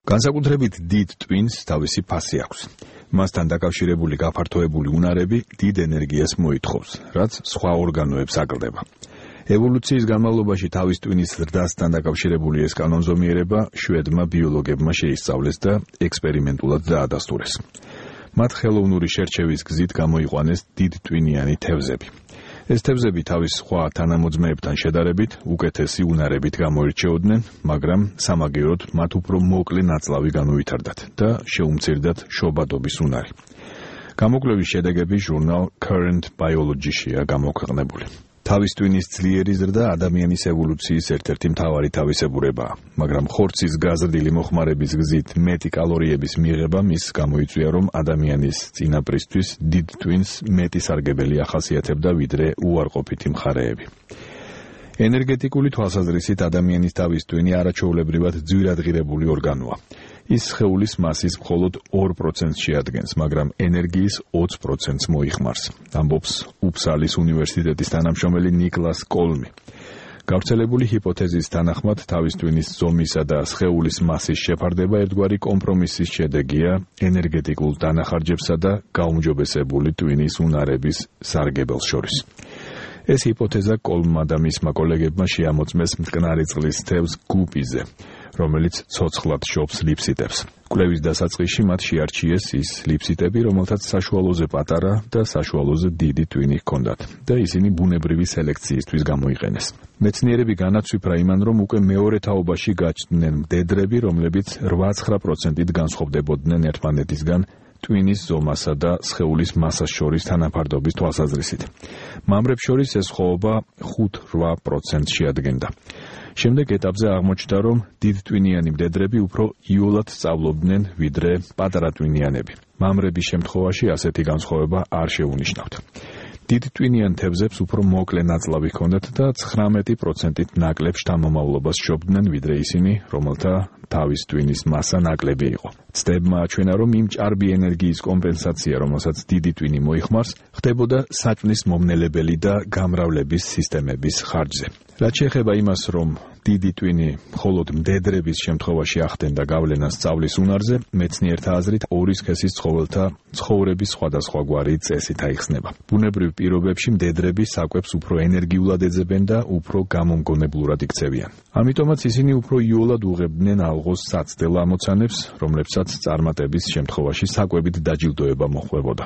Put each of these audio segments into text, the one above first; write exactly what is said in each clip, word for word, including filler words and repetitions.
განსაკუთრებით დიდ ტვინს თავისი ფასი აქვს. მასთან დაკავშირებული გაფართოებული უნარები დიდ ენერგიას მოითხოვს, რაც სხვა ორგანოებს აკლდება. ევოლუციის განმავლობაში თავის ტვინის ზრდასთან დაკავშირებული ეს კანონზომიერება შვედმა ბიოლოგებმა შეისწავლეს და ექსპერიმენტულად დაადასტურეს. მათ ხელოვნური შერჩევის გზით გამოიყვანეს დიდტვინიანი თევზები. ეს თევზები თავის სხვა თანამოძმეებთან შედარებით უკეთესი უნარებით გამოირჩეოდნენ, მაგრამ სამაგიეროდ მათ უფრო მოკლე ნაწლავი განუვითარდათ და შეუმცირდათ შობადობის უნარი. გამოკვლევის შედეგები ჟურნალ Current Biology-შია გამოქვეყნებული. თავის ტვინის ძლიერი ზრდა ადამიანის ევოლუციის ერთ-ერთი მთავარი თავისებურებაა, მაგრამ ხორცის გაზრდილი მოხმარების გზით მეტი კალორიების მიღება მის გამოიწვია, რომ ადამიანის წინაპრისთვის დიდ ტვინს მეტი სარგებელი ახასიათებდა ვიდრე უარყოფითი მხარეები. ენერგეტიკული თვალსაზრისით ადამიანის თავის ტვინი არაჩვეულებრივად ძვირადღირებული ორგანოა. ის სხეულის მასის მხოლოდ ორ პროცენტს შეადგენს, მაგრამ ენერგიის ოცი პროცენტს მოიხმარს, ამბობს უფსალის უნივერსიტეტის თანამშრომელი ნიკლას კოლმი. გავრცელებული ჰიპოთეზის თანახმად თავის ტვინის ზომისა და სხეულის მასის შეფარდება ერთგვარი კომპრომისის შედეგია ენერგეტიკულ დანახარჯებსა და გაუმჯობესებული ტვინის უნარების სარგებელს შორის. ეს ჰიპოთეზა კოლმმა და მისმა კოლეგებმა შეამოწმეს მტკნარი წყლის თევზ გუპიზე, რომელიც ცოცხლად შობს ლიფსიტებს. კვლევის დასაწყისში მათ შეარჩიეს ის ლიფსიტები, რომელთაც საშუალოზე პატარა და საშუალოზე დიდი ტვინი ჰქონდათ და ისინი ბუნებრივი სელექციისთვის გამოიყენეს. მეცნიერები განაცვიფრა იმან, რომ უკვე მეორე თაობაში გაჩნდნენ მდედრები, რომლებიც რვა-ცხრა პროცენტით განსხვავდებოდნენ ერთმანეთისგან ტვინის ზომასა და სხეულის მასას შორის თანაფარდობის თვალსაზრისით. მამრებს შორის ეს ხვაობა ხუთ-რვა პროცენტს შეადგენდა. შემდეგ ეტაპზე აღმოჩნდა, რომ დიდტვინიანი მდედრები უფრო იოლად სწავლობდნენ ვიდრე პატარა ტვინიანები. მამრების შემთხვევაში ასეთი განსხვავება არ შეუნიშნავთ. დიდტვინიან თევზებს უფრო მოკლე ნაწლავი ჰქონდათ და ცხრამეტი პროცენტით ნაკლებ შთამომავლობას შობდნენ ვიდრე ისინი, რომელთა თავის ტვინის მასა ნაკლები იყო. ცდებმა აჩვენა, რომ იმ ჭარბი ენერგიის კომპენსაცია, რომელსაც დიდი ტვინი მოიხმარს, ხდებოდა საჭმლის მომნელებელი და გამრავლების სისტემების ხარჯზე. რაც შეეხება იმას, რომ დიდი ტვინი მხოლოდ მდედრების შემთხვევაში ახდენდა გავლენას სწავლის უნარზე, მეცნიერთა აზრით ორი სქესის ცხოველთა ცხოვრების სხვადასხვაგვარი წესით აიხსნება. ბუნებრივ პირობებში მდედრები საკვებს უფრო ენერგიულად ეძებენ და უფრო გამომგონებლურად იქცევიან. ამიტომაც ისინი უფრო იოლად უღებდნენ ალღოს საცდელ ამოცანებს, რომლებსაც წარმატების შემთხვევაში საკვებით დაჯილდოება მოჰყვებოდა.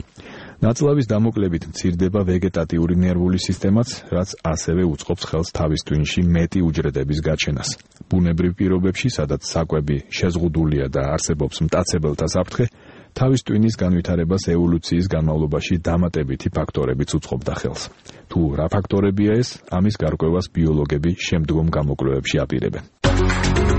ნაწლავის დამოკლებით მცირდება ვეგეტატიური ნერვული სისტემაც, რაც ასევე უწყობს ხელს თავის ტვინში მეტი უჯრედების გაჩენას. ბუნებრივ პირობებში, სადაც საკვები შეზღუდულია და არსებობს მტაცებელთა საფრთხე, თავის ტვინის განვითარებას ევოლუციის განმავლობაში დამატებითი ფაქტორებიც უწყობდა ხელს. თუ რა ფაქტორებია ეს, ამის გარკვევას ბიოლოგები შემდგომ გამოკვლევებში აპირებენ.